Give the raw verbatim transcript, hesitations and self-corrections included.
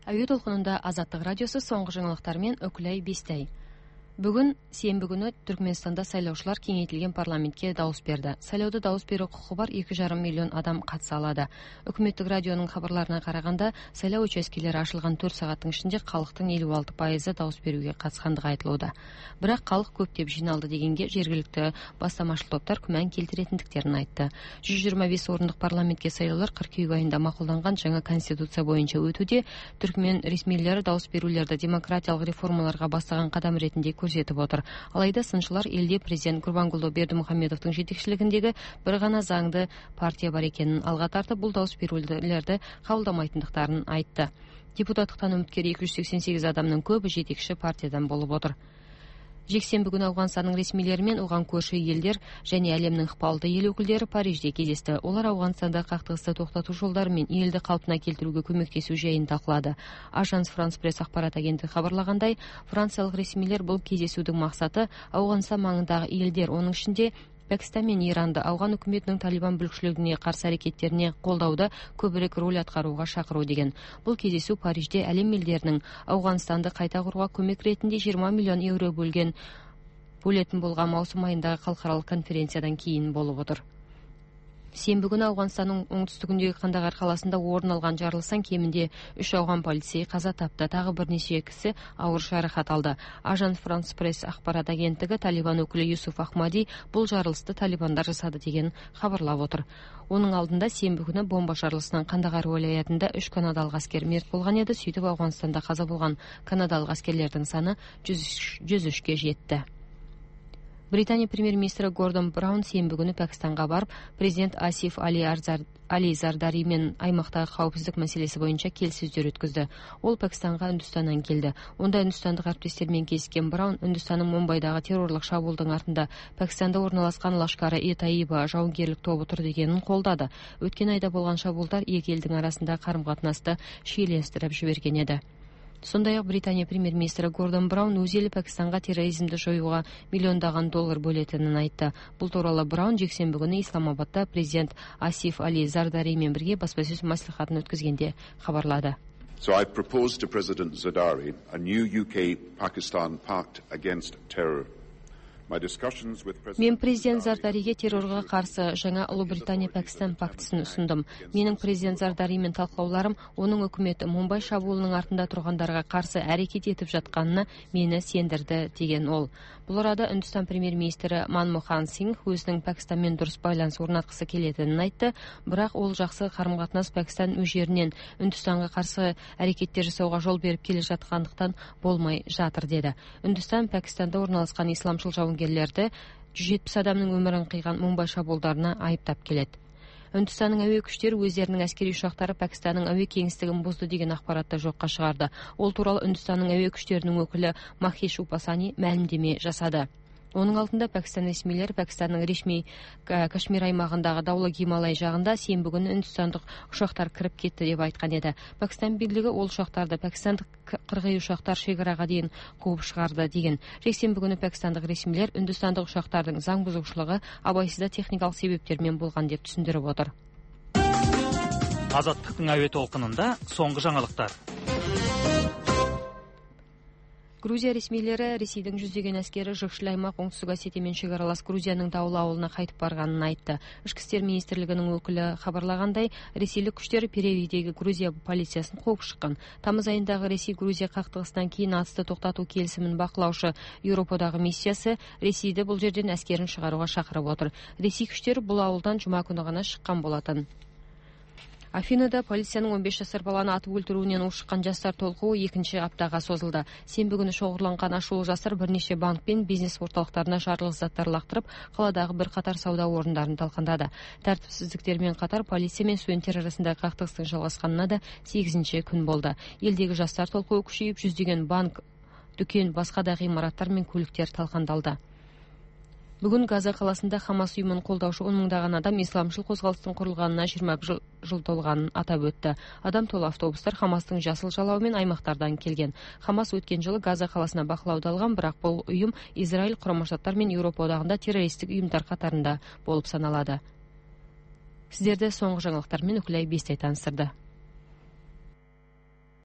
Әуе толкунунда Азаттык радиосу соңку жаңылыктар менен Өкүлай Бестай. Бүгүн сенби күнү Түркмөнстанда сайлоочулар кеңейтилген парламентке дауыс берди. Сайлоодо дауыс берүү укугу бар эки жарым миллион адам катыша алады. Өкмөттүк радионун кабарларына караганда, сайлоо участкелери ачылган төрт сааттын ичинде калктын элүү алты пайызы дауыс берүүгө катышкандыгы айтылууда. Бирок калк көптөп жыйналды дегенге жергиликтүү бастамачыл топтор күмөн келтиретиндиктерин айтты. жүз жыйырма беш ордундук парламентке сайлоолор кыркүйек айында макулданган жаңы конституция боюнча өтүүдө. Түркмөн ресмийлери дауыс берүүлөрдө демократиялык реформаларга бастаган кадам ретинде көрсөтүп отур. Алайда сынчылар элде президент Курбангулду Бердимухамедовдун жетекчилигиндеги бир гана заңды партия бар экенин алга тартып, бул дауыс берүүлөрдү кабылдамайтындыктарын айтты. Депутаттыктан үмүткер эки жүз сексен сегиз адамдын көбү жетекчи партиядан болуп отур. Жексенби күнү Афганстандын ресмийлери менен уган көршү элдер және әлемдин ыкпалдуу эл өкүлдөрү Парижде кездешти. Олар Афганстанда кактыгысты токтотуу жолдору менен элди калпына келтирүүгө көмөктөшүү жайын талкуулады. Ажанс Франс пресс акпарат агенттиги кабарлагандай, франциялык ресмийлер бул кездесүүнүн максаты Афганстан маңындагы элдер, онун ичинде Пакистан менен Иранды Афган өкмөтүнүн Талибан бүлүкчүлүгүнө каршы аракеттерине колдоодо көбүрөөк роль аткарууга чакыруу деген. Бул кездесүү Парижде әлем элдеринин Афганстанды кайта курууга көмөк ретинде жыйырма миллион евро бөлгөн бөлөтүн болгон маусум айындагы калкаралык конференциядан кийин болуп отур. Сенби күнү Афганстандын оңтүстүгүндөгү Кандагар каласында орун алган жарылыштан кеминде үч афган полицейи каза тапты, дагы бир нече киши ауыр жаракат алды. Ажанс Франс пресс акпарат агенттиги Талибан өкүлү Юсуф Ахмади бул жарылышты талибандар жасады деген кабарлап отур. Онун алдында сенби күнү бомба жарылышынан Кандагар вилаятында үч канадалык аскер мерт болгон эди. Сүйтүп Афганстанда каза болгон канадалык аскерлердин саны жүз үчкө жетти. Британия премьер-министри Гордон Браун сенби күнү Пакистанга барып, президент Асиф Али Али Зардари менен аймактагы кауіпсіздік маселеси боюнча келиссөздөр өткөздү. Ол Пакистанга Үндүстандан келди. Онда Үндүстандык әріптестер менен кездешкен Браун Үндүстандын Мумбайдагы террорлук шабуылдын артында Пакистанда орналаскан Лашкары-и-Таиба жауынгерлик тобу тур дегенин колдады. Өткөн айда болгон шабуылдар эки элдин арасындагы карым-катнашты шийлештирип жиберген эди. Сондай-ак Британия премьер-министри Гордон Браун өз эли Пакистанга терроризмди жоюуга миллиондаган доллар бөлөтүнүн айтты. Бул тууралуу Браун жексенби күнү Исламабадда президент Асиф Али Зардари менен бирге баспасөз маслихатын өткөзгөндө кабарлады. So I propose to President Zardari a new U K-Pakistan pact against terror. Мен президент Зардариге террорга каршы жаңа Улуу Британия Пакистан пактысын ұсындым. Менин президент Зардари менен талкууларым онун өкмөтү Мумбай шабуылынын артында тургандарга каршы аракет этип жатканына мени сендирди деген ол. Бул арада Үндүстан премьер-министри Манмохан Сингх өзүнүн Пакистан менен дурус байланыш орнаткысы келетинин айтты, бирок ол жакшы карым-катнаш Пакистан өз жеринен Үндүстанга каршы аракеттер жасоого жол берип келе жаткандыктан болмой жатыр деди. Үндүстан Пакистанда орналашкан исламчыл жауынгерлерди жүз жетимиш адамдын өмүрүн кыйган Мумбай шабуылдарына айыптап келет. Үндүстандын әуе күчтөрү өздеринин аскери учактары Пакистандын әуе кеңистигин бузду деген акпаратты жокко чыгарды. Ол тууралуу Үндүстандын әуе күчтөрүнүн өкүлү Махиш Упасани маалимдеме жасады. Онун алдында Пакистан ресмийлери Пакистандын решмий Кашмир аймагындагы Даулы Гималай жагында сенби күнү үндүстандык учактар кирип кетти деп айткан эди. Пакистан бийлиги ол учактарды пакистандык кыргый учактар шегарага дейин кууп чыгарды деген. Жексенби күнү пакистандык ресмийлер үндүстандык учактардын заң бузуучулугу абайсызда техникалык себептер менен болгон деп түшүндүрүп отур. Азаттыктын әуе толкунунда соңку жаңылыктар. Грузия ресмийлери Ресейдин жүздөгөн аскери Жыкшыл аймак оңтүстүк Осетия менен чек-аралас Грузиянын Даулы абылына кайтып барганын айтты. Ички иштер министрлигинин өкүлү кабарлагандай, ресейлик күчтөр Перевийдеги Грузия полициясын кууп чыккан. Тамыз айындагы Ресей-Грузия кактыгысынан кийин атысты токтотуу келисимин бакылаушы Европадагы миссиясы Ресейди бул жерден аскерин чыгарууга чакырып отур. Ресей күчтөрү бул абылдан жума күнү гана чыккан болотун. Афинада полициянын он беш жашар баланы атып өлтүрүүнөн ушуккан жаштар толкуу экинчи аптага созулду. Сенби күнү чогуланган ашуул жаштар бир нече банк пен бизнес орталыктарына жарылгыч заттар лактырып, каладагы бир катар сауда орундарын талкандады. Тартипсиздиктер менен катар полиция менен студенттер арасындагы кактыгыстын жалгашканына да сегизинчи күн болду. Элдеги жаштар толкуу күчөйүп, жүздөгөн банк, дүкөн, башка да имараттар менен көлүктөр талкандалды. Бүгүн Газа каласында Хамас уюмун колдоочу он миңдаган адам исламчыл козголуштун курулганына жыйырма бир жыл толганын атап өттү. Адам толуу автобустар Хамастын жасыл жалабы менен аймактардан келген. Хамас өткөн жылы Газа каласына бакылоодо алган, бирок бул уюм Израиль, Курама Штаттар менен Европа одагында террористтик уюмдар катарында болуп саналады. Сиздерди соңку жаңылыктар менен Өкүлай Бестай тааныстырды.